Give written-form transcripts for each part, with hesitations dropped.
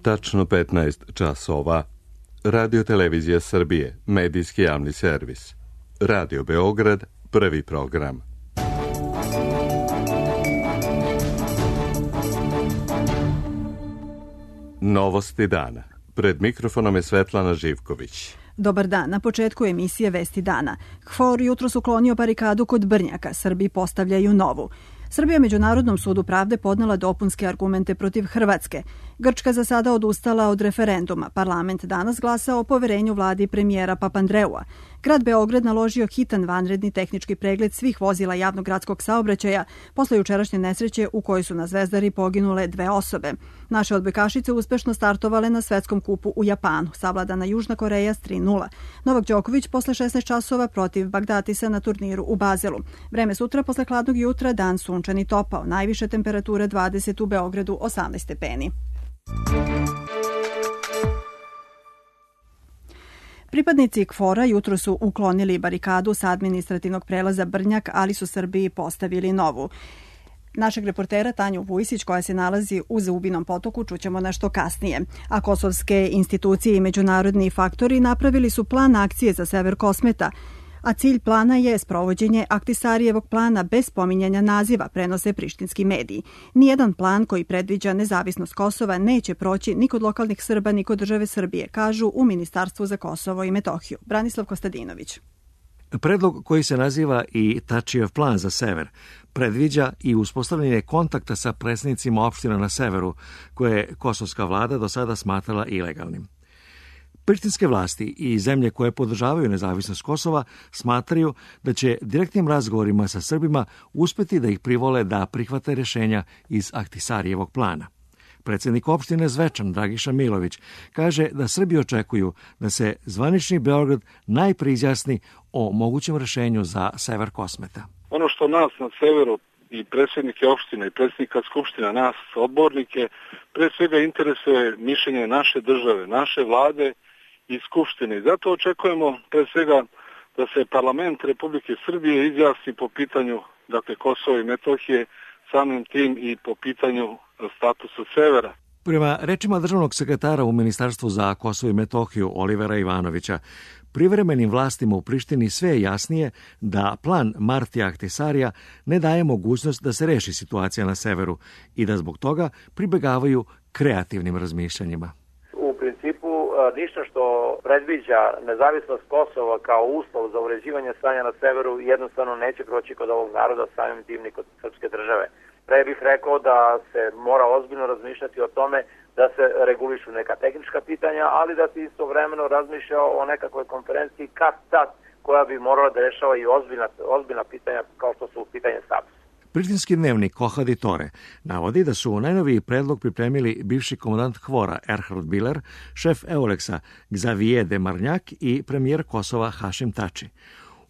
Tačno 15 časova. Radio Televizija Srbije, medijski javni servis. Radio Beograd, prvi program. Novosti dana. Pred mikrofonom je Svetlana Živković. Dobar dan. Na početku emisije Vesti dana. KFOR jutros uklonio barikadu kod Brnjaka. Srbi postavljaju novu. Srbija Međunarodnom sudu pravde podnela dopunske argumente protiv Hrvatske. Grčka za sada odustala od referenduma. Parlament danas glasa o poverenju vladi premijera Papandreua. Grad Beograd naložio hitan vanredni tehnički pregled svih vozila javnog gradskog saobraćaja posle jučerašnje nesreće u kojoj su na Zvezdari poginule 2 osobe. Naše odbojkašice uspešno startovale na svetskom kupu u Japanu. Savladana Južna Koreja s 3:0. Novak Đoković posle 16 časova protiv Bagdatisa na turniru u Bazelu. Vreme sutra posle hladnog jutra, dan sunčan i topao. Najviše temperature 20 u Beogradu, 18 stepeni. Pripadnici KFOR-a jutro su uklonili barikadu sa administrativnog prelaza Brnjak, ali su Srbiji postavili novu. Našeg reportera Tanju Vujsić, koja se nalazi u Zubinom Potoku, čućemo nešto kasnije. A kosovske institucije i međunarodni faktori napravili su plan akcije za sever Kosmeta, a cilj plana je sprovođenje Ahtisarijevog plana bez spominjanja naziva, prenose prištinski mediji. Nijedan plan koji predviđa nezavisnost Kosova neće proći ni kod lokalnih Srba, ni kod države Srbije, kažu u Ministarstvu za Kosovo i Metohiju. Branislav Kostadinović. Predlog koji se naziva i Tačijev plan za sever predviđa i uspostavljanje kontakta sa predsjednicima opština na severu, koje je kosovska vlada do sada smatrala ilegalnim. Prištinske vlasti i zemlje koje podržavaju nezavisnost Kosova smatraju da će direktnim razgovorima sa Srbima uspeti da ih privole da prihvate rješenja iz Ahtisarijevog plana. Predsjednik opštine Zvečan, Dragiša Milović, kaže da Srbi očekuju da se zvanični Beograd najprije izjasni o mogućem rješenju za sever Kosmeta. Ono što nas na severu i predsjednike opštine i predsjednika skupština, nas odbornike, pre svega interesuje mišljenje naše države, naše vlade i skupštine. Zato očekujemo pre svega da se parlament Republike Srbije izjasni po pitanju Kosova i Metohije, samim tim i po pitanju statusa severa. Prema rečima državnog sekretara u Ministarstvu za Kosovo i Metohiju Olivera Ivanovića, privremenim vlastima u Prištini sve je jasnije da plan Martija Ahtisarija ne daje mogućnost da se reši situacija na severu i da zbog toga pribegavaju kreativnim razmišljanjima. U principu ništa što predviđa nezavisnost Kosova kao uslov za uređivanje stanja na severu jednostavno neće proći kod ovog naroda, samim tim ni kod srpske države. Pre bih rekao da se mora ozbiljno razmišljati o tome da se regulišu neka tehnička pitanja, ali da se istovremeno razmišlja o nekakvoj konferenciji kad-tad koja bi morala da rešava i ozbiljna pitanja kao što su pitanje statusa. Prištinski dnevnik Kohadi Tore navodi da su najnoviji predlog pripremili bivši komandant KFOR-a Erhard Biler, šef Euleksa Xavier de Marnjak i premijer Kosova Hašim Tači.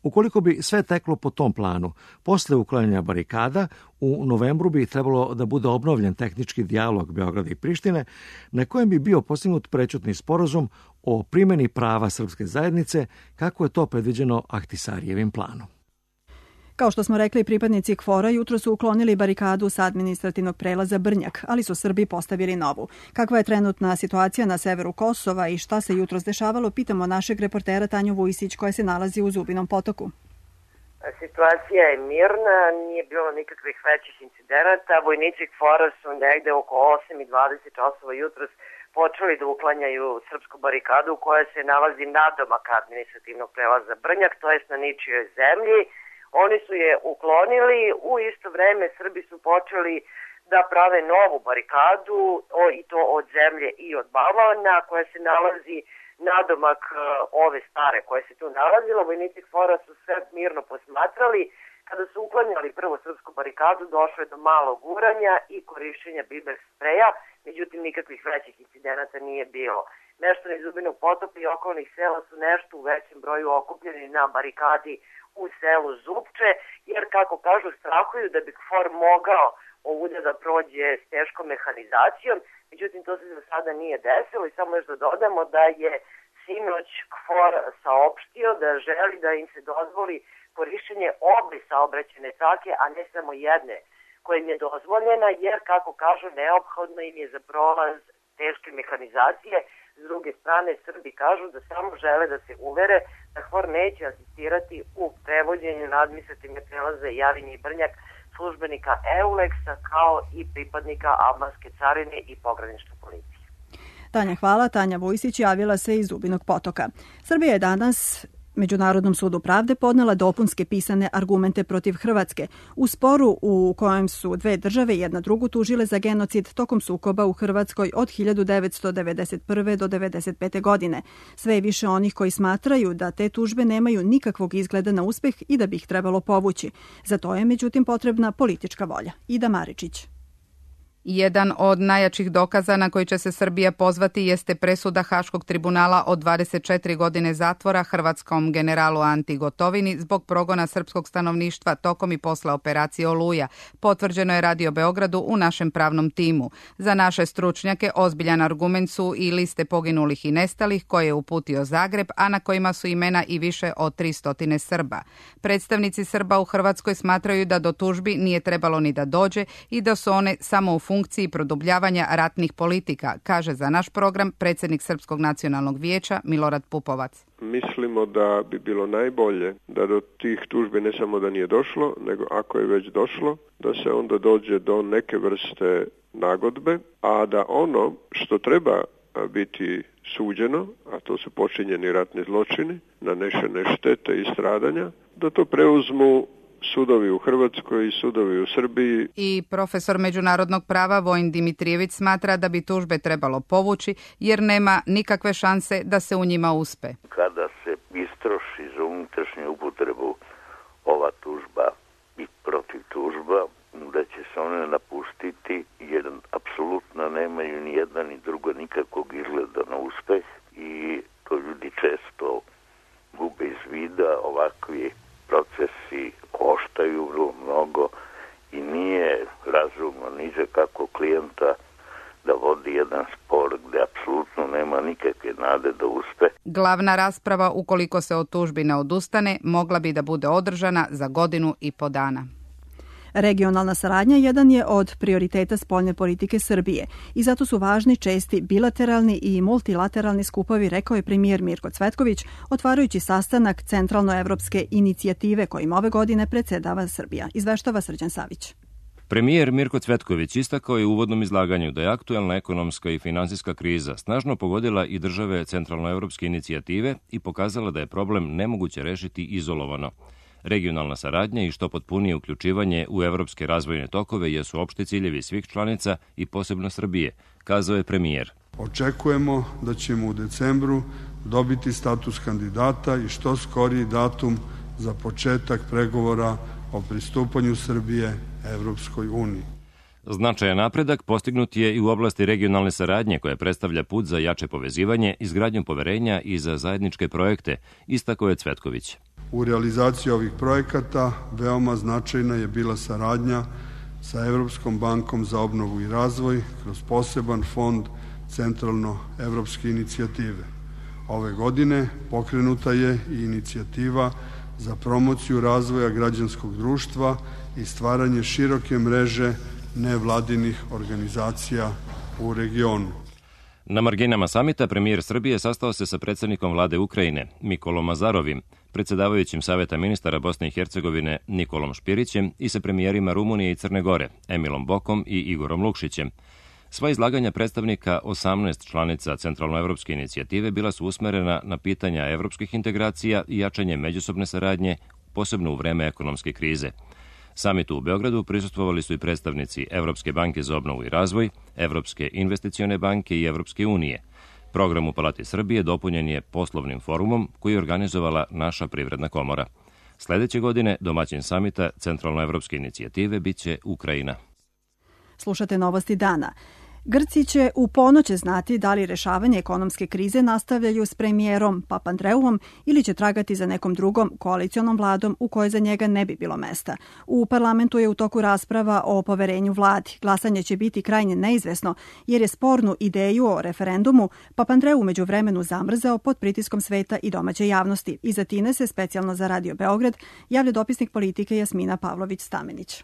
Ukoliko bi sve teklo po tom planu, posle uklanjanja barikada, u novembru bi trebalo da bude obnovljen tehnički dijalog Beograda i Prištine, na kojem bi bio postignut prečutni sporazum o primjeni prava srpske zajednice, kako je to predviđeno Ahtisarijevim planom. Kao što smo rekli, pripadnici KFOR-a jutro su uklonili barikadu sa administrativnog prelaza Brnjak, ali su Srbi postavili novu. Kakva je trenutna situacija na severu Kosova i šta se jutros dešavalo, pitamo našeg reportera Tanju Vujsić, koja se nalazi u Zubinom Potoku. Situacija je mirna, nije bilo nikakvih većih incidenata. Vojnici KFOR-a su negde oko 8:20 časova jutros počeli da uklanjaju srpsku barikadu koja se nalazi nadomak administrativnog prelaza Brnjak, to jest na ničijoj zemlji. Oni su je uklonili, u isto vreme Srbi su počeli da prave novu barikadu, i to od zemlje i od balvana, koja se nalazi nadomak ove stare koje se tu nalazilo. Vojnici KFOR-a su sve mirno posmatrali. Kada su uklanjali prvo srpsku barikadu, došlo je do malog guranja i korišćenja biber spreja, međutim nikakvih većih incidenata nije bilo. Meštani Zubinog Potoka i okolnih sela su nešto u većem broju okupljeni na barikadi u selu Zupče, jer kako kažu strahuju da bi KFOR mogao ovdje da prođe s teškom mehanizacijom, međutim to se za sada nije desilo i samo još da dodamo da je sinoć KFOR saopštio da želi da im se dozvoli korišćenje obe saobraćajne trake, a ne samo jedne koja im je dozvoljena, jer kako kažu neophodno im je za prolaz teške mehanizacije. S druge strane, Srbi kažu da samo žele da se uvere da KFOR neće asistirati u prevođenju na administrativne prelaze Jarinje i Brnjak službenika EULEX-a kao i pripadnika albanske carine i pogranične policije. Tanja, hvala. Tanja Vujsić javila se iz Zubinog Potoka. Srbija je danas Međunarodnom sudu pravde podnela dopunske pisane argumente protiv Hrvatske u sporu u kojem su dve države jedna drugu tužile za genocid tokom sukoba u Hrvatskoj od 1991. do 1995. godine. Sve je više onih koji smatraju da te tužbe nemaju nikakvog izgleda na uspeh i da bi ih trebalo povući. Za to je međutim potrebna politička volja. Ida Maričić. Jedan od najjačih dokaza na koji će se Srbija pozvati jeste presuda Haškog tribunala od 24 godine zatvora hrvatskom generalu Anti Gotovini zbog progona srpskog stanovništva tokom i posle operacije Oluja. Potvrđeno je Radio Beogradu u našem pravnom timu. Za naše stručnjake ozbiljan argument su i liste poginulih i nestalih koje je uputio Zagreb, a na kojima su imena i više od 300 Srba. Predstavnici Srba u Hrvatskoj smatraju da do tužbi nije trebalo ni da dođe i da su one samo u funkciji produbljavanja ratnih politika, kaže za naš program predsjednik Srpskog nacionalnog vijeća Milorad Pupovac. Mislimo da bi bilo najbolje da do tih tužbi ne samo da nije došlo, nego ako je već došlo, da se onda dođe do neke vrste nagodbe, a da ono što treba biti suđeno, a to su počinjeni ratni zločini, nanešene štete i stradanja, da to preuzmu sudovi u Hrvatskoj i sudovi u Srbiji. I profesor međunarodnog prava Vojin Dimitrijević smatra da bi tužbe trebalo povući jer nema nikakve šanse da se u njima uspe. Kada se istroši za unutrašnju upotrebu ova tužba i protiv tužba, da će se one napustiti jer apsolutno nemaju ni jedna ni druga nikakvog izgleda na uspeh i to ljudi često gube iz vida. Ovakvi procesi koštaju mnogo i nije razumno niže kako klijenta da vodi jedan spor gdje apsolutno nema nikakve nade da uspe. Glavna rasprava, ukoliko se od tužbi ne odustane, mogla bi da bude održana za 1.5 godina. Regionalna saradnja jedan je od prioriteta spoljne politike Srbije i zato su važni česti bilateralni i multilateralni skupovi, rekao je premijer Mirko Cvetković, otvarajući sastanak Centralnoevropske inicijative kojim ove godine predsjedava Srbija. Izveštava Srđan Savić. Premijer Mirko Cvetković istakao je u uvodnom izlaganju da je aktuelna ekonomska i finansijska kriza snažno pogodila i države Centralnoevropske inicijative i pokazala da je problem nemoguće rešiti izolovano. Regionalna saradnja i što potpunije uključivanje u evropske razvojne tokove jesu opšti ciljevi svih članica i posebno Srbije, kazao je premijer. Očekujemo da ćemo u decembru dobiti status kandidata i što skoriji datum za početak pregovora o pristupanju Srbije Evropskoj uniji. Značajan napredak postignut je i u oblasti regionalne saradnje koja predstavlja put za jače povezivanje, izgradnju poverenja i za zajedničke projekte, istakao je Cvetković. U realizaciji ovih projekata veoma značajna je bila saradnja sa Evropskom bankom za obnovu i razvoj kroz poseban fond Centralnoevropske inicijative. Ove godine pokrenuta je i inicijativa za promociju razvoja građanskog društva i stvaranje široke mreže nevladinih organizacija u regionu. Na marginama samita premijer Srbije sastao se sa predsjednikom vlade Ukrajine Mikolom Azarovim, predsjedavajućim Saveta ministara Bosne i Hercegovine Nikolom Špirićem i sa premijerima Rumunije i Crne Gore Emilom Bokom i Igorom Lukšićem. Sva izlaganja predstavnika 18 članica Centralnoevropske inicijative bila su usmerena na pitanja evropskih integracija i jačanje međusobne saradnje, posebno u vreme ekonomske krize. Samitu u Beogradu prisustvovali su i predstavnici Evropske banke za obnovu i razvoj, Evropske investicione banke i Evropske unije. Program u Palati Srbije dopunjen je poslovnim forumom koji je organizovala naša privredna komora. Sledeće godine domaćin samita Centralnoevropske inicijative biće Ukrajina. Slušate novosti dana. Grci će u ponoće znati da li rešavanje ekonomske krize nastavljaju s premijerom Papandreouom ili će tragati za nekom drugom koalicionom vladom u kojoj za njega ne bi bilo mesta. U parlamentu je u toku rasprava o poverenju vladi. Glasanje će biti krajnje neizvesno jer je spornu ideju o referendumu Papandreou umeđu vremenu zamrzao pod pritiskom sveta i domaće javnosti. Iza Tine se specijalno za Radio Beograd javlja dopisnik politike Jasmina Pavlović-Stamenić.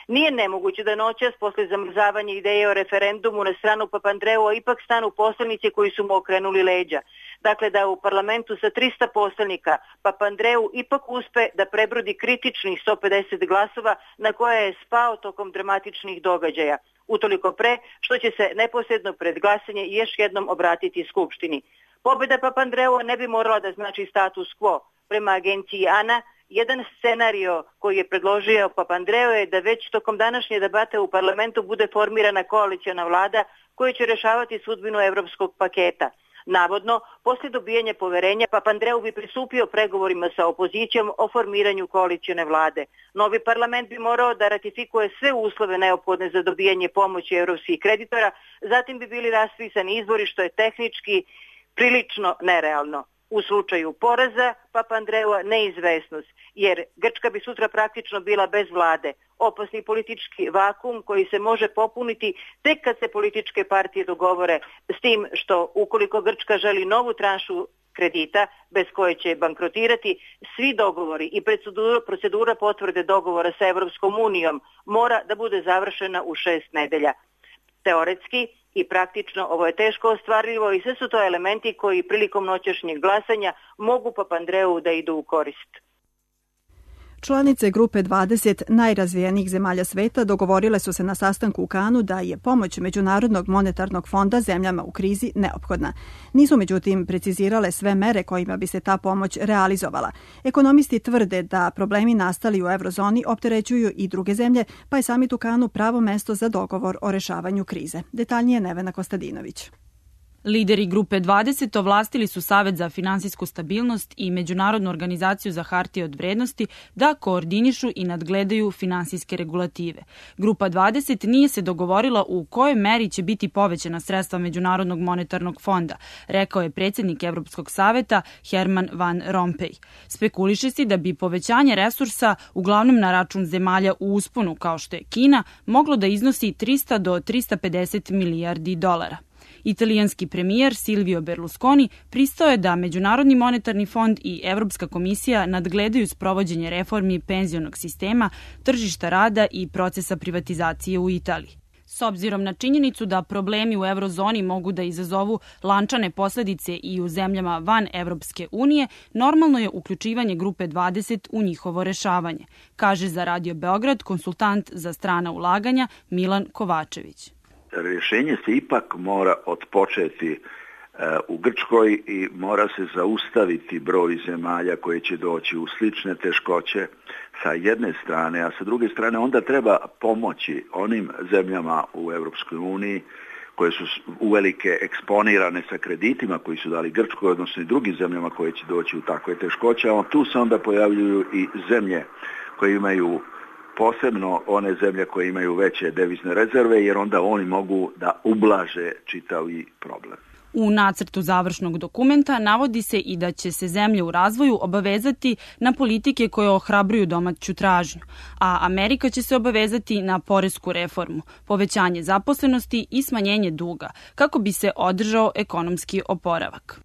Nije nemoguće da noćas posle zamrzavanja ideje o referendumu na stranu Papandreua ipak stanu poslanici koji su mu okrenuli leđa. Dakle, da u parlamentu sa 300 poslanika Papandreou ipak uspe da prebrodi kritičnih 150 glasova na koje je spao tokom dramatičnih događaja. Utoliko pre što će se neposredno pred glasanje još jednom obratiti Skupštini. Pobjeda Papandreua ne bi morala da znači status quo. Prema agenciji ANA, jedan scenario koji je predložio Papandreou je da već tokom današnje debate u parlamentu bude formirana koaliciona vlada koja će rešavati sudbinu evropskog paketa. Navodno, poslije dobijanja poverenja, Papandreou bi pristupio pregovorima sa opozicijom o formiranju koalicione vlade. Novi parlament bi morao da ratifikuje sve uslove neophodne za dobijanje pomoći evropskih kreditora, zatim bi bili raspisani izbori, što je tehnički prilično nerealno. U slučaju poraza Papandreua neizvesnost, jer Grčka bi sutra praktično bila bez vlade. Opasni politički vakum koji se može popuniti tek kad se političke partije dogovore, s tim što ukoliko Grčka želi novu tranšu kredita bez koje će bankrotirati, svi dogovori i procedura potvrde dogovora sa Evropskom unijom mora da bude završena u 6 nedelja. Teoretski i praktično ovo je teško ostvarljivo i sve su to elementi koji prilikom noćašnjeg glasanja mogu Papandreou da idu u korist. Članice grupe 20 najrazvijenijih zemalja sveta dogovorile su se na sastanku u Kanu da je pomoć Međunarodnog monetarnog fonda zemljama u krizi neophodna. Nisu međutim precizirale sve mere kojima bi se ta pomoć realizovala. Ekonomisti tvrde da problemi nastali u eurozoni opterećuju i druge zemlje, pa je samit u Kanu pravo mesto za dogovor o rešavanju krize. Detaljnije Nevena Kostadinović. Lideri grupe 20 ovlastili su Savet za finansijsku stabilnost i Međunarodnu organizaciju za hartije od vrednosti da koordinišu i nadgledaju finansijske regulative. Grupa 20 nije se dogovorila u kojoj meri će biti povećana sredstva Međunarodnog monetarnog fonda, rekao je predsjednik Evropskog saveta Herman Van Rompuy. Spekuliše se da bi povećanje resursa, uglavnom na račun zemalja u usponu kao što je Kina, moglo da iznosi 300 do 350 milijardi dolara. Italijanski premijer Silvio Berlusconi pristao je da Međunarodni monetarni fond i Evropska komisija nadgledaju sprovođenje reformi penzionog sistema, tržišta rada i procesa privatizacije u Italiji. S obzirom na činjenicu da problemi u eurozoni mogu da izazovu lančane posledice i u zemljama van Evropske unije, normalno je uključivanje grupe 20 u njihovo rešavanje, kaže za Radio Beograd konsultant za strana ulaganja Milan Kovačević. Rješenje se ipak mora otpočeti u Grčkoj i mora se zaustaviti broj zemalja koje će doći u slične teškoće sa jedne strane, a sa druge strane onda treba pomoći onim zemljama u Europskoj uniji koje su uvelike eksponirane sa kreditima koji su dali Grčkoj, odnosno i drugim zemljama koje će doći u takve teškoće, a tu se onda pojavljuju i zemlje koje imaju posebno one zemlje koje imaju veće devizne rezerve, jer onda oni mogu da ublaže čitavi problem. U nacrtu završnog dokumenta navodi se i da će se zemlje u razvoju obavezati na politike koje ohrabruju domaću tražnju, a Amerika će se obavezati na poresku reformu, povećanje zaposlenosti i smanjenje duga, kako bi se održao ekonomski oporavak.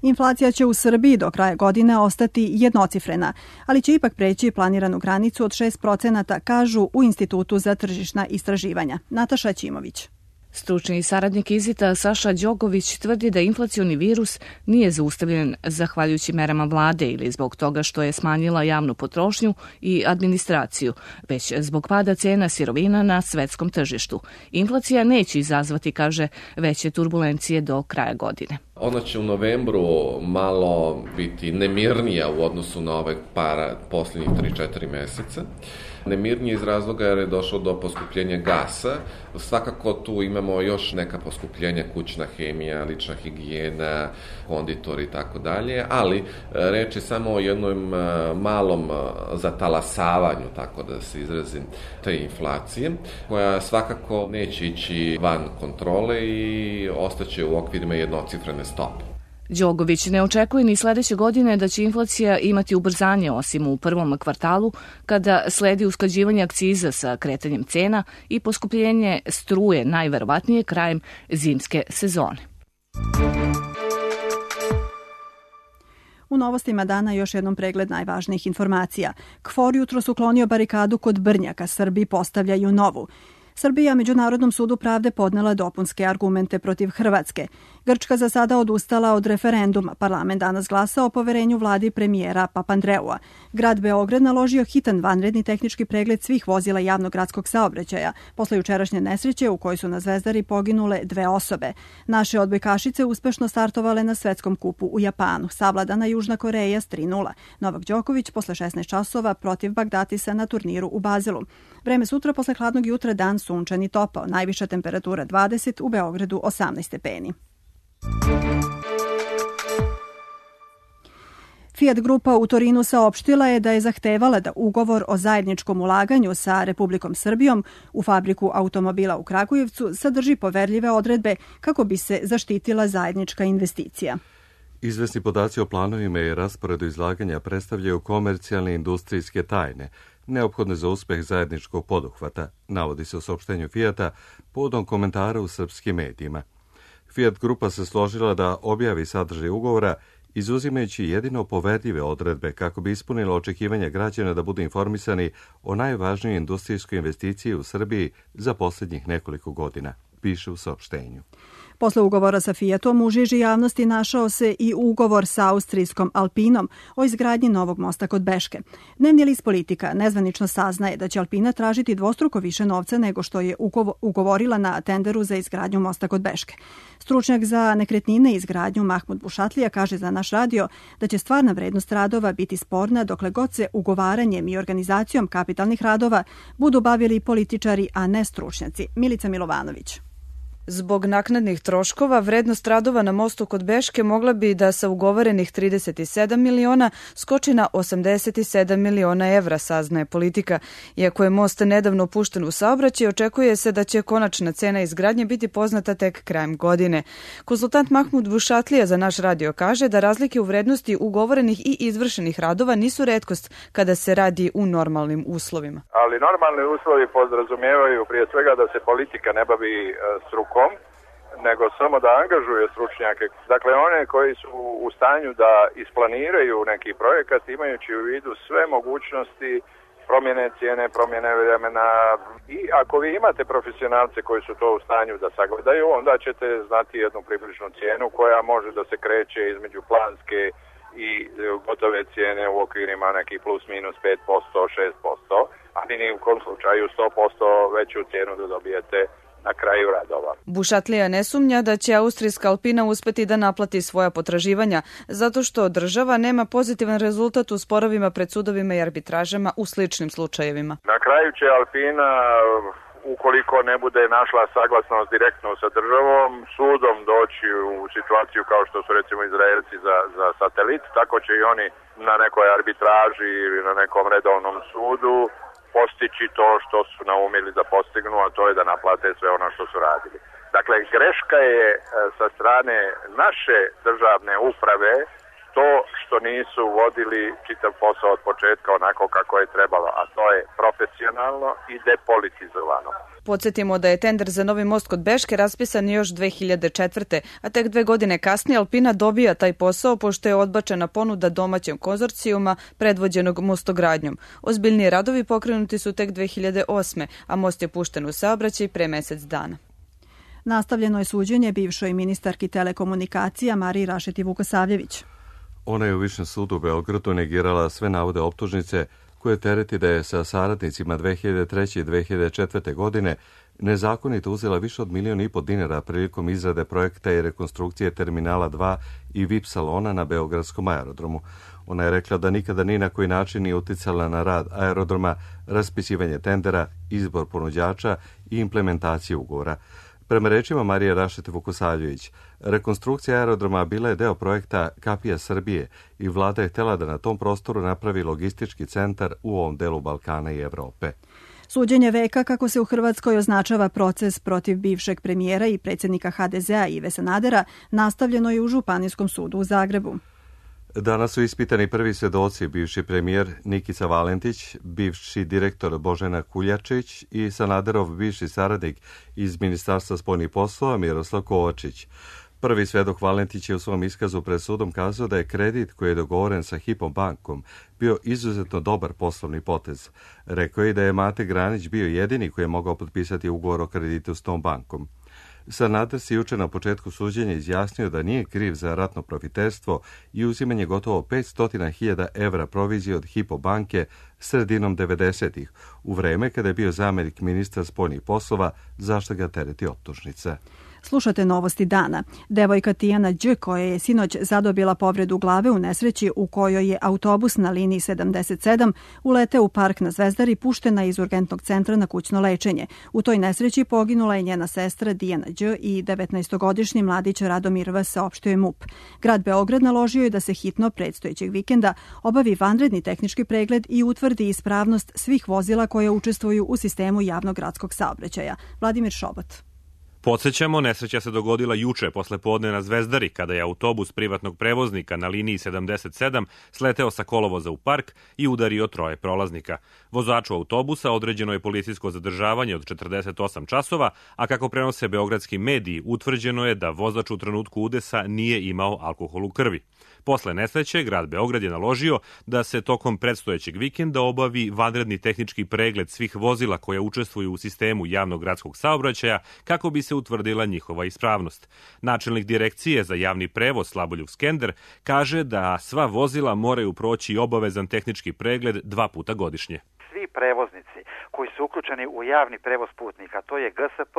Inflacija će u Srbiji do kraja godine ostati jednocifrena, ali će ipak preći planiranu granicu od 6%, kažu u Institutu za tržišna istraživanja. Nataša Ćimović. Stručni saradnik IZIT-a Saša Đogović tvrdi da inflacioni virus nije zaustavljen zahvaljujući merama vlade ili zbog toga što je smanjila javnu potrošnju i administraciju, već zbog pada cena sirovina na svetskom tržištu. Inflacija neće izazvati, kaže, veće turbulencije do kraja godine. Ona će u novembru malo biti nemirnija u odnosu na ove posljednjih 3-4 meseca. Nemirnije iz razloga jer je došlo do poskupljenja gasa. Svakako tu imamo još neka poskupljenja, kućna hemija, lična higijena, konditori i tako dalje, ali reč je samo o jednom malom zatalasavanju, tako da se izrazim, te inflacije, koja svakako neće ići van kontrole i ostaće u okvirima jednocifrene stope. Đogović ne očekuje ni sledeće godine da će inflacija imati ubrzanje, osim u prvom kvartalu, kada sledi usklađivanje akciza sa kretanjem cena i poskupljenje struje najverovatnije krajem zimske sezone. U novostima dana još jednom pregled najvažnijih informacija. KFOR jutros uklonio barikadu kod Brnjaka, Srbi postavljaju novu. Srbija Međunarodnom sudu pravde podnela dopunske argumente protiv Hrvatske. Grčka za sada odustala od referenduma. Parlament danas glasa o poverenju vladi premijera Papandreua. Grad Beograd naložio hitan vanredni tehnički pregled svih vozila javnog gradskog saobraćaja posle jučerašnje nesreće u kojoj su na Zvezdari poginule 2 osobe. Naše odbojkašice uspešno startovale na svetskom kupu u Japanu. Savladana Južna Koreja s 3:0. Novak Đoković posle 16 časova protiv Bagdatisa na turniru u Bazelu. Vreme sutra posle hladnog jutra dan sunčan i topao. Najviša temperatura 20, u Beogradu 18 stepeni. Fiat grupa u Torinu saopštila je da je zahtevala da ugovor o zajedničkom ulaganju sa Republikom Srbijom u fabriku automobila u Kragujevcu sadrži poverljive odredbe kako bi se zaštitila zajednička investicija. Izvesni podaci o planovima i rasporedu izlaganja predstavljaju komercijalne industrijske tajne, neophodne za uspeh zajedničkog poduhvata, navodi se u saopštenju Fiata povodom komentara u srpskim medijima. Fiat grupa se složila da objavi sadržaj ugovora izuzimajući jedino poverljive odredbe kako bi ispunila očekivanja građana da budu informisani o najvažnijoj industrijskoj investiciji u Srbiji za posljednjih nekoliko godina, piše u saopštenju. Posle ugovora sa Fiatom u žiži javnosti našao se i ugovor sa austrijskom Alpinom o izgradnji novog mosta kod Beške. Dnevni list Politika nezvanično saznaje da će Alpina tražiti dvostruko više novca nego što je ugovorila na tenderu za izgradnju mosta kod Beške. Stručnjak za nekretnine i izgradnju Mahmud Bušatlija kaže za naš radio da će stvarna vrednost radova biti sporna dokle god se ugovaranjem i organizacijom kapitalnih radova budu bavili političari, a ne stručnjaci. Milica Milovanović. Zbog naknadnih troškova, vrednost radova na mostu kod Beške mogla bi da sa ugovorenih 37 miliona skoči na 87 miliona evra, saznaje Politika. Iako je most nedavno pušten u saobraćaj, očekuje se da će konačna cena izgradnje biti poznata tek krajem godine. Konsultant Mahmud Bušatlija za naš radio kaže da razlike u vrednosti ugovorenih i izvršenih radova nisu retkost kada se radi u normalnim uslovima. Ali normalni uslovi podrazumijevaju prije svega da se politika ne bavi strukom, nego samo da angažuje stručnjake. Dakle, one koji su u stanju da isplaniraju neki projekat imajući u vidu sve mogućnosti promjene cijene, promjene vremena. I ako vi imate profesionalce koji su to u stanju da sagledaju, onda ćete znati jednu približnu cijenu koja može da se kreće između planske i gotove cijene u okvirima neki plus minus 5%, 6%, ali ni u kom slučaju 100% veću cijenu da dobijete na kraju radova. Bušatlija ne sumnja da će austrijska Alpina uspeti da naplati svoja potraživanja, zato što država nema pozitivan rezultat u sporovima pred sudovima i arbitražama u sličnim slučajevima. Na kraju će Alpina, ukoliko ne bude našla saglasnost direktno sa državom, sudom doći u situaciju kao što su recimo Izraelci za satelit, tako će i oni na nekoj arbitraži ili na nekom redovnom sudu postići to što su naumili da postignu, a to je da naplate sve ono što su radili. Dakle, greška je sa strane naše državne uprave to što nisu vodili čitav posao od početka onako kako je trebalo, a to je profesionalno i depolitizovano. Podsjetimo da je tender za novi most kod Beške raspisan još 2004. a tek 2 godine kasnije Alpina dobija taj posao pošto je odbačena ponuda domaćem konzorcijuma predvođenog mostogradnjom. Ozbiljniji radovi pokrenuti su tek 2008. a most je pušten u saobraćaj pre mesec dana. Nastavljeno je suđenje bivšoj ministarki telekomunikacija Mariji Rašeti Vukosavljević. Ona je u Višem sudu u Beogradu negirala sve navode optužnice koje tereti da je sa saradnicima 2003. i 2004. godine nezakonito uzela više od $1,5 miliona prilikom izrade projekta i rekonstrukcije Terminala 2 i VIP salona na Beogradskom aerodromu. Ona je rekla da nikada ni na koji način nije uticala na rad aerodroma, raspisivanje tendera, izbor ponuđača i implementaciju ugovora. Prema rečima Marije Rašete Vukosavljević, rekonstrukcija aerodroma bila je deo projekta Kapija Srbije i vlada je htjela da na tom prostoru napravi logistički centar u ovom delu Balkana i Evrope. Suđenje veka, kako se u Hrvatskoj označava proces protiv bivšeg premijera i predsjednika HDZ-a Ive Sanadera, nastavljeno je u Županijskom sudu u Zagrebu. Danas su ispitani prvi svedoci, bivši premijer Nikica Valentić, bivši direktor Božena Kuljačić i Sanaderov bivši saradnik iz Ministarstva spoljnih poslova Miroslav Kovačić. Prvi svedok Valentić je u svom iskazu pred sudom kazao da je kredit koji je dogovoren sa Hypo bankom bio izuzetno dobar poslovni potez. Rekao je da je Mate Granić bio jedini koji je mogao potpisati ugovor o kreditu s tom bankom. Sanader se juče na početku suđenja izjasnio da nije kriv za ratno profiterstvo i uzimanje gotovo 500.000 evra provizije od Hypo banke sredinom 90-ih, u vreme kada je bio zamjenik ministra spoljnih poslova, zašto ga tereti optužnica. Slušate novosti dana. Devojka Tijana Đ, koja je sinoć zadobila povredu glave u nesreći u kojoj je autobus na liniji 77 uleteo u park na Zvezdari, puštena iz urgentnog centra na kućno lečenje. U toj nesreći poginula je njena sestra Dijana Đ i 19-godišnji mladić Radomir V, saopštio je MUP. Grad Beograd naložio je da se hitno predstojećeg vikenda obavi vanredni tehnički pregled i utvrdi ispravnost svih vozila koje učestvuju u sistemu javnog gradskog saobraćaja. Vladimir Šobot. Podsećamo, nesreća se dogodila juče posle podne na Zvezdari, kada je autobus privatnog prevoznika na liniji 77 sleteo sa kolovoza u park i udario 3 prolaznika. Vozaču autobusa određeno je policijsko zadržavanje od 48 časova, a kako prenose beogradski mediji, utvrđeno je da vozač u trenutku udesa nije imao alkohol u krvi. Posle nesreće, grad Beograd je naložio da se tokom predstojećeg vikenda obavi vanredni tehnički pregled svih vozila koja učestvuju u sistemu javnog gradskog saobraćaja kako bi se utvrdila njihova ispravnost. Načelnik direkcije za javni prevoz Slaboljub Skender kaže da sva vozila moraju proći obavezan tehnički pregled 2 puta godišnje. Svi prevoznici koji su uključeni u javni prevoz putnika, to je GSP,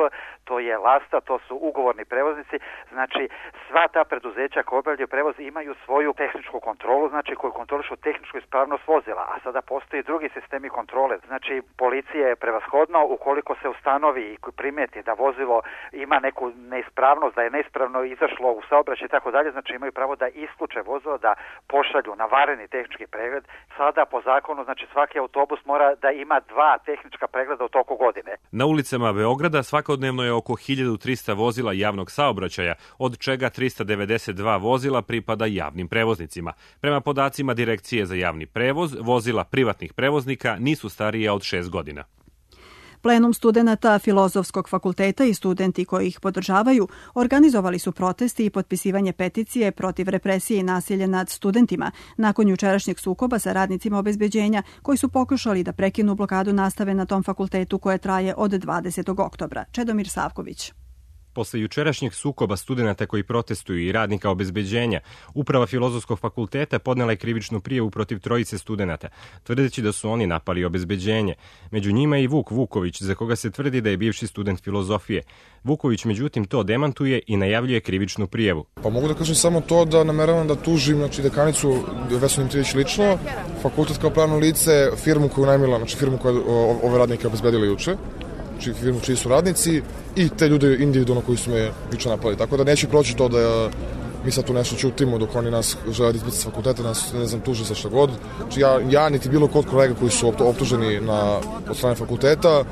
to je Lasta, to su ugovorni prevoznici, znači sva ta preduzeća koja obavljaju prevoz imaju svoju tehničku kontrolu, znači koju kontrolišu tehničku ispravnost vozila, a sada postoji drugi sistemi kontrole, znači policija je prevashodno ukoliko se ustanovi i primeti da vozilo ima neku neispravnost, da je neispravno izašlo u saobraćaj i tako dalje, znači imaju pravo da isključe vozilo, da pošalju na vanredni tehnički pregled. Sada po zakonu, znači svaki autobus mora da ima 2 tehnička pregleda u toku godine. Na ulicama Beograda svakodnevno je oko 1300 vozila javnog saobraćaja, od čega 392 vozila pripada javnim prevoznicima. Prema podacima Direkcije za javni prevoz, vozila privatnih prevoznika nisu starije od 6 godina. Plenum studenata Filozofskog fakulteta i studenti koji ih podržavaju organizovali su protesti i potpisivanje peticije protiv represije i nasilja nad studentima nakon jučerašnjeg sukoba sa radnicima obezbeđenja koji su pokušali da prekinu blokadu nastave na tom fakultetu koje traje od 20. oktobra. Čedomir Savković. Posle jučerašnjeg sukoba studenata koji protestuju i radnika obezbeđenja, Uprava Filozofskog fakulteta podnela je krivičnu prijavu protiv 3 studenata, tvrdeći da su oni napali obezbeđenje. Među njima je i Vuk Vuković, za koga se tvrdi da je bivši student filozofije. Vuković međutim to demantuje i najavljuje krivičnu prijavu. Pa mogu da kažem samo to da nameravam da tužim dekanicu Vesnu Dimitrijević lično, fakultet kao pravno lice, firmu koju najmila, znači firmu koja ove radnike obezbedila juče, firmu čiji su radnici i te ljude individualno koji su me juče napali. Tako da neće proći to da mi sad tu nešto čutimo dok oni nas žele da izbiti s fakulteta, nas ne znam tuže za šta god. Znači ja niti bilo kod kolega koji su optuženi od strane fakulteta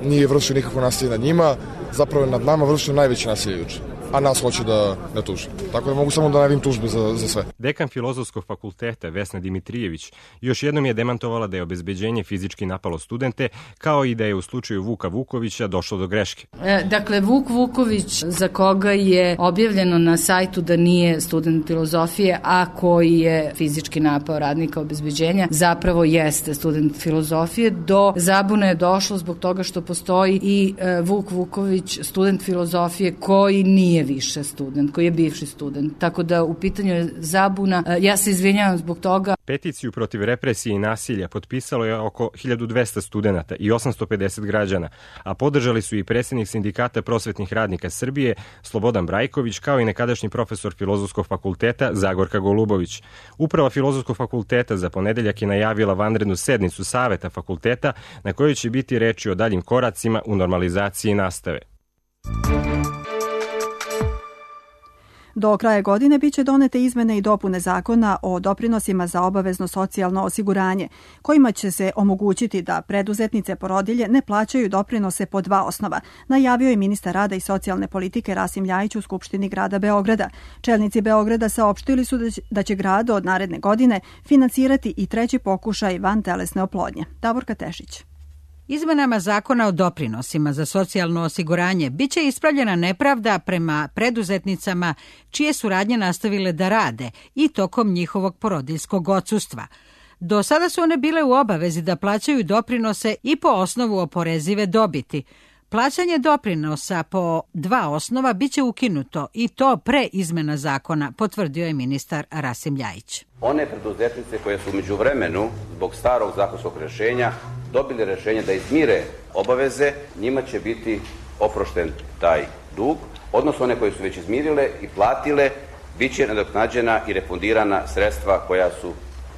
nije vršio nikakvo nasilje nad njima, zapravo je nad nama vršio najveće nasilje juče, a nas hoće da tuže. Tako da mogu samo da najavim tužbe za sve. Dekan Filozofskog fakulteta Vesna Dimitrijević još jednom je demantovala da je obezbeđenje fizički napalo studente, kao i da je u slučaju Vuka Vukovića došlo do greške. Dakle, Vuk Vuković, za koga je objavljeno na sajtu da nije student filozofije, a koji je fizički napao radnika obezbeđenja, zapravo jeste student filozofije. Do zabune je došlo zbog toga što postoji i Vuk Vuković, student filozofije, koji nije više student, koji je bivši student. Tako da u pitanju je zabuna. Ja se izvinjavam zbog toga. Peticiju protiv represije i nasilja potpisalo je oko 1200 studenata i 850 građana, a podržali su i predsjednik Sindikata prosvetnih radnika Srbije Slobodan Brajković, kao i nekadašnji profesor Filozofskog fakulteta Zagorka Golubović. Uprava Filozofskog fakulteta za ponedeljak je najavila vanrednu sednicu Saveta fakulteta na kojoj će biti reči o daljim koracima u normalizaciji nastave. Do kraja godine biće donete izmene i dopune zakona o doprinosima za obavezno socijalno osiguranje, kojima će se omogućiti da preduzetnice porodilje ne plaćaju doprinose po 2 osnova, najavio je ministar rada i socijalne politike Rasim Ljajić u Skupštini grada Beograda. Čelnici Beograda saopštili su da će grad od naredne godine finansirati i 3. pokušaj vantelesne oplodnje. Davorka Tešić. Izmenama zakona o doprinosima za socijalno osiguranje biće ispravljena nepravda prema preduzetnicama čije su radnje nastavile da rade i tokom njihovog porodiljskog odsustva. Do sada su one bile u obavezi da plaćaju doprinose i po osnovu oporezive dobiti. Plaćanje doprinosa po 2 osnova biće ukinuto i to pre izmena zakona, potvrdio je ministar Rasim Ljajić. One preduzetnice koje su među vremenu zbog starog zakonskog rješenja dobili rješenje da izmire obaveze, njima će biti oprošten taj dug, odnosno one koje su već izmirile i platile, bit će nadoknađena i refundirana sredstva koja su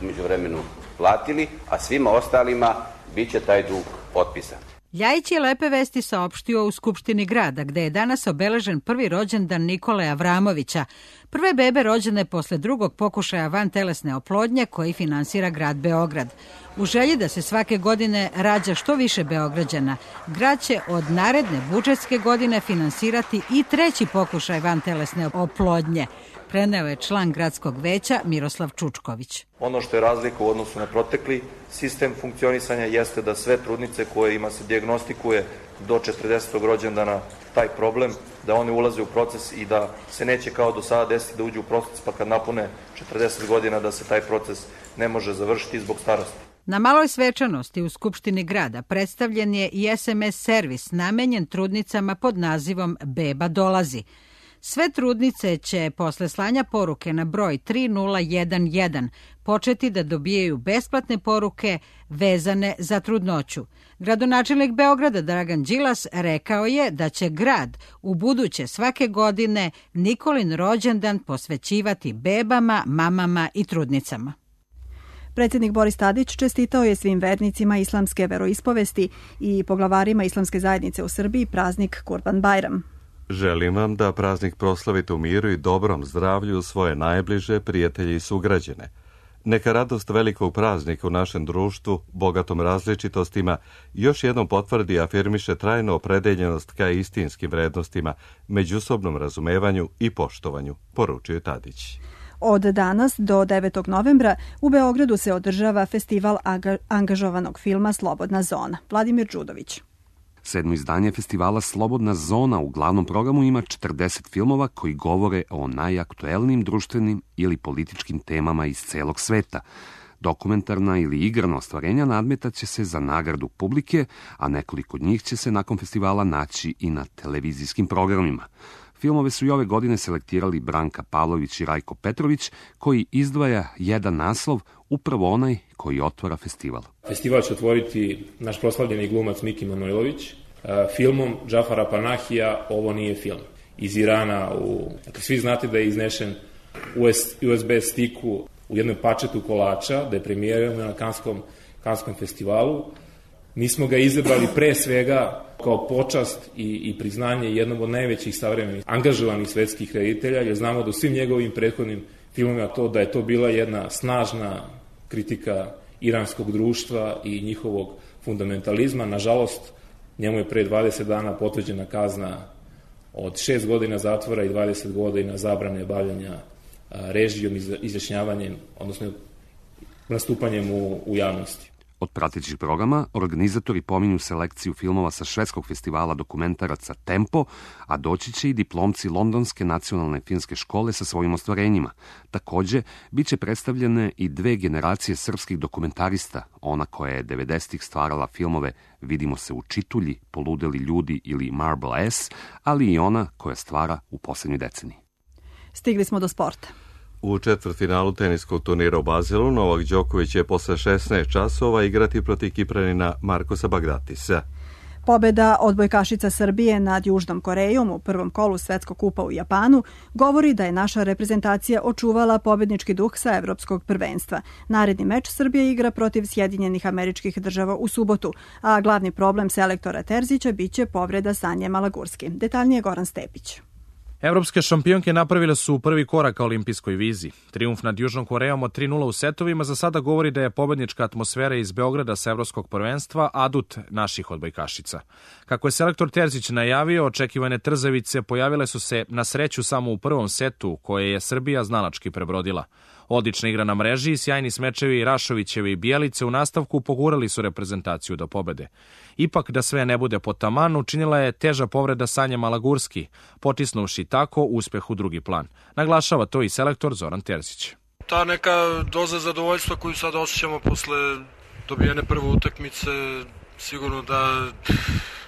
u međuvremenu platili, a svima ostalima bit će taj dug otpisan. Ljajić je lepe vesti saopštio u Skupštini grada, gde je danas obeležen prvi rođendan Nikole Avramovića, prve bebe rođene posle drugog pokušaja vantelesne oplodnje koji finansira grad Beograd. U želji da se svake godine rađa što više Beograđana, grad će od naredne budžetske godine finansirati i treći pokušaj vantelesne oplodnje, preneo je član gradskog veća Miroslav Čučković. Ono što je razlika u odnosu na protekli sistem funkcionisanja jeste da sve trudnice kojima se dijagnostikuje do 40. rođendana taj problem, da one ulaze u proces i da se neće kao do sada desiti da uđu u proces, pa kad napune 40 godina da se taj proces ne može završiti zbog starosti. Na maloj svečanosti u Skupštini grada predstavljen je i SMS servis namenjen trudnicama pod nazivom Beba dolazi. Sve trudnice će posle slanja poruke na broj 3011 početi da dobijaju besplatne poruke vezane za trudnoću. Gradonačelnik Beograda Dragan Đilas rekao je da će grad u buduće svake godine Nikolin rođendan posvećivati bebama, mamama i trudnicama. Predsjednik Boris Tadić čestitao je svim vernicima islamske veroispovesti i poglavarima islamske zajednice u Srbiji praznik Kurban Bajram. Želim vam da praznik proslavite u miru i dobrom zdravlju svoje najbliže prijatelje i sugrađane. Neka radost velikog praznika u našem društvu, bogatom različitostima, još jednom potvrdi i afirmiše trajnu opredeljenost ka istinskim vrednostima, međusobnom razumevanju i poštovanju, poručuje Tadić. Od danas do 9. novembra u Beogradu se održava festival angažovanog filma Slobodna zona. Vladimir Đudović. 7. izdanje festivala Slobodna zona u glavnom programu ima 40 filmova koji govore o najaktuelnijim društvenim ili političkim temama iz celog sveta. Dokumentarna ili igrana ostvarenja nadmetat će se za nagradu publike, a nekoliko od njih će se nakon festivala naći i na televizijskim programima. Filmove su i ove godine selektirali Branka Pavlović i Rajko Petrović, koji izdvaja jedan naslov, upravo onaj koji otvara festival. Festival će otvoriti naš proslavljeni glumac Miki Manojlović filmom Džafara Panahija Ovo nije film. Iz Irana, dakle, svi znate da je iznešen USB stiku u jednom pačetu kolača, da je premijeran na Kanskom festivalu. Mi smo ga izabrali pre svega kao počast i priznanje jednom od najvećih savremenih angažovanih svetskih reditelja, jer znamo da u svim njegovim prethodnim filmima da je to bila jedna snažna kritika iranskog društva i njihovog fundamentalizma. Nažalost, njemu je pre 20 dana potvrđena kazna od 6 godina zatvora i 20 godina zabrane bavljanja režijom, izjašnjavanjem, odnosno nastupanjem u javnosti. Od pratećih programa organizatori pominju selekciju filmova sa švedskog festivala dokumentaraca Tempo, a doći će i diplomci Londonske nacionalne filmske škole sa svojim ostvarenjima. Takođe, bit će predstavljene i 2 generacije srpskih dokumentarista, ona koja je 90-ih stvarala filmove Vidimo se u Čitulji, Poludeli ljudi ili Marble S, ali i ona koja stvara u poslednjoj deceniji. Stigli smo do sporta. U četvrtfinalu teniskog turnira u Bazilu Novak Đoković će posle 16 časova igrati protiv Kipranina Markosa Bagdatisa. Pobeda odbojkašica Srbije nad Južnom Korejom u prvom kolu Svetskog kupa u Japanu govori da je naša reprezentacija očuvala pobednički duh sa evropskog prvenstva. Naredni meč Srbije igra protiv Sjedinjenih Američkih Država u subotu, a glavni problem selektora Terzića biće povreda Sanje Malagurski. Detaljnije Goran Stepić. Evropske šampionke napravile su prvi korak ka olimpijskoj vizi. Trijumf nad Južnom Korejom od 3:0 u setovima za sada govori da je pobednička atmosfera iz Beograda sa evropskog prvenstva adut naših odbojkašica. Kako je selektor Terzić najavio, očekivane trzavice pojavile su se na sreću samo u prvom setu, koje je Srbija znalački prebrodila. Odlična igra na mreži i sjajni smečevi Rašovićeve i Bjelice u nastavku pogurali su reprezentaciju do pobede. Ipak, da sve ne bude po taman, učinila je teža povreda Sanja Malagurski, potisnuvši tako uspeh u drugi plan. Naglašava to i selektor Zoran Terzić. Ta neka doza zadovoljstva koju sad osjećamo posle dobijene prve utakmice, sigurno da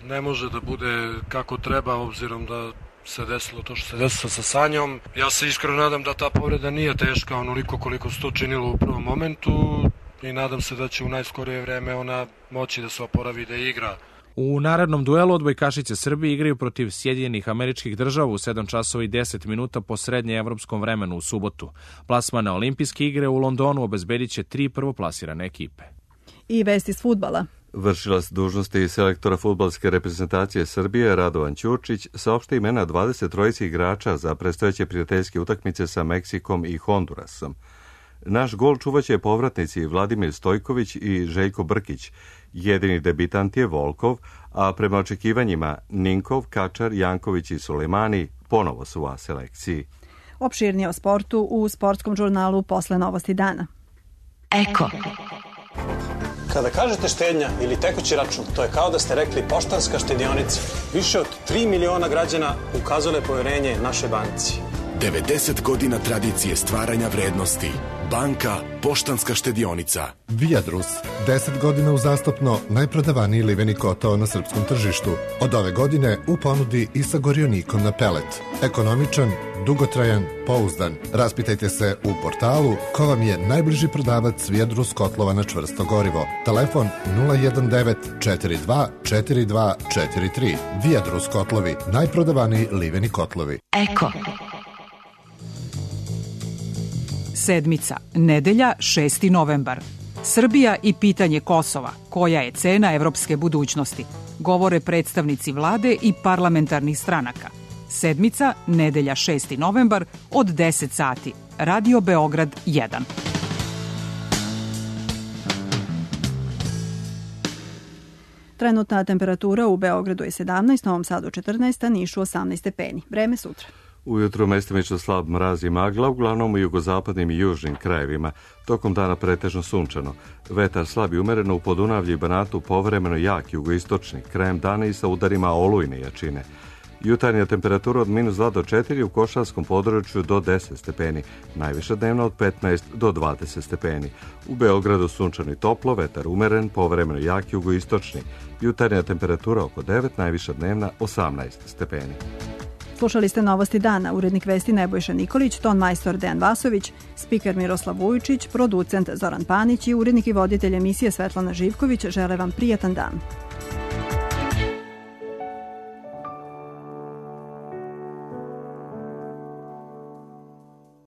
ne može da bude kako treba, obzirom da se desilo to što se desilo sa Sanjom. Ja se iskreno nadam da ta povreda nije teška onoliko koliko se to činilo u prvom momentu i nadam se da će u najskorije vreme ona moći da se oporavi da igra. U narednom duelu odbojkašice Srbije igraju protiv Sjedinjenih Američkih Država u 7 časova i 10 minuta po srednje evropskom vremenu u subotu. Plasman na olimpijske igre u Londonu obezbedit će 3 prvoplasirane ekipe. I vesti iz fudbala. Vršilac dužnosti selektora fudbalske reprezentacije Srbije Radovan Ćurčić saopšta imena 23 igrača za predstojeće prijateljske utakmice sa Meksikom i Hondurasom. Naš gol čuvaće povratnici Vladimir Stojković i Željko Brkić. Jedini debitant je Volkov, a prema očekivanjima Ninkov, Kačar, Janković i Sulejmani ponovo su u A selekciji. Opširnije o sportu u sportskom žurnalu posle novosti dana. Eko. Kada kažete štednja ili tekući račun, to je kao da ste rekli Poštanska štedionica. Više od 3 miliona građana ukazale poverenje našoj banci. 90 godina tradicije stvaranja vrednosti. Banka Poštanska štedionica. Viadrus. 10 godina uzastopno najprodavaniji liveni kotao na srpskom tržištu. Od ove godine u ponudi i sa gorionikom na pelet. Ekonomičan, dugotrajan, pouzdan. Raspitajte se u portalu ko vam je najbliži prodavac Viadrus kotlova na čvrsto gorivo. Telefon 019 42 42 43. Viadrus kotlovi. Najprodavaniji liveni kotlovi. Eko. Sedmica, nedelja, 6. novembar. Srbija i pitanje Kosova. Koja je cena evropske budućnosti? Govore predstavnici vlade i parlamentarnih stranaka. Sedmica, nedelja, 6. novembar od 10 sati. Radio Beograd 1. Trenutna temperatura u Beogradu je 17, Novom Sadu 14, Nišu 18 stepeni. Vreme sutra. Ujutro mestimično slab mraz i magla, uglavnom u jugozapadnim i južnim krajevima. Tokom dana pretežno sunčano. Vetar slab i umereno u Podunavlju i Banatu, povremeno jak jugoistočni. Krajem dana i sa udarima olujne jačine. Jutarnja temperatura od -2 do 4, u Košarskom području do 10 stepeni. Najviša dnevna od 15 do 20 stepeni. U Beogradu sunčano i toplo, vetar umeren, povremeno jak jugoistočni. Jutarnja temperatura oko 9, najviša dnevna 18 stepeni. Slušali ste novosti dana, urednik vesti Nebojša Nikolić, ton majstor Dejan Vasović, spiker Miroslav Vujičić, producent Zoran Panić i urednik i voditelj emisije Svetlana Živković žele vam prijatan dan.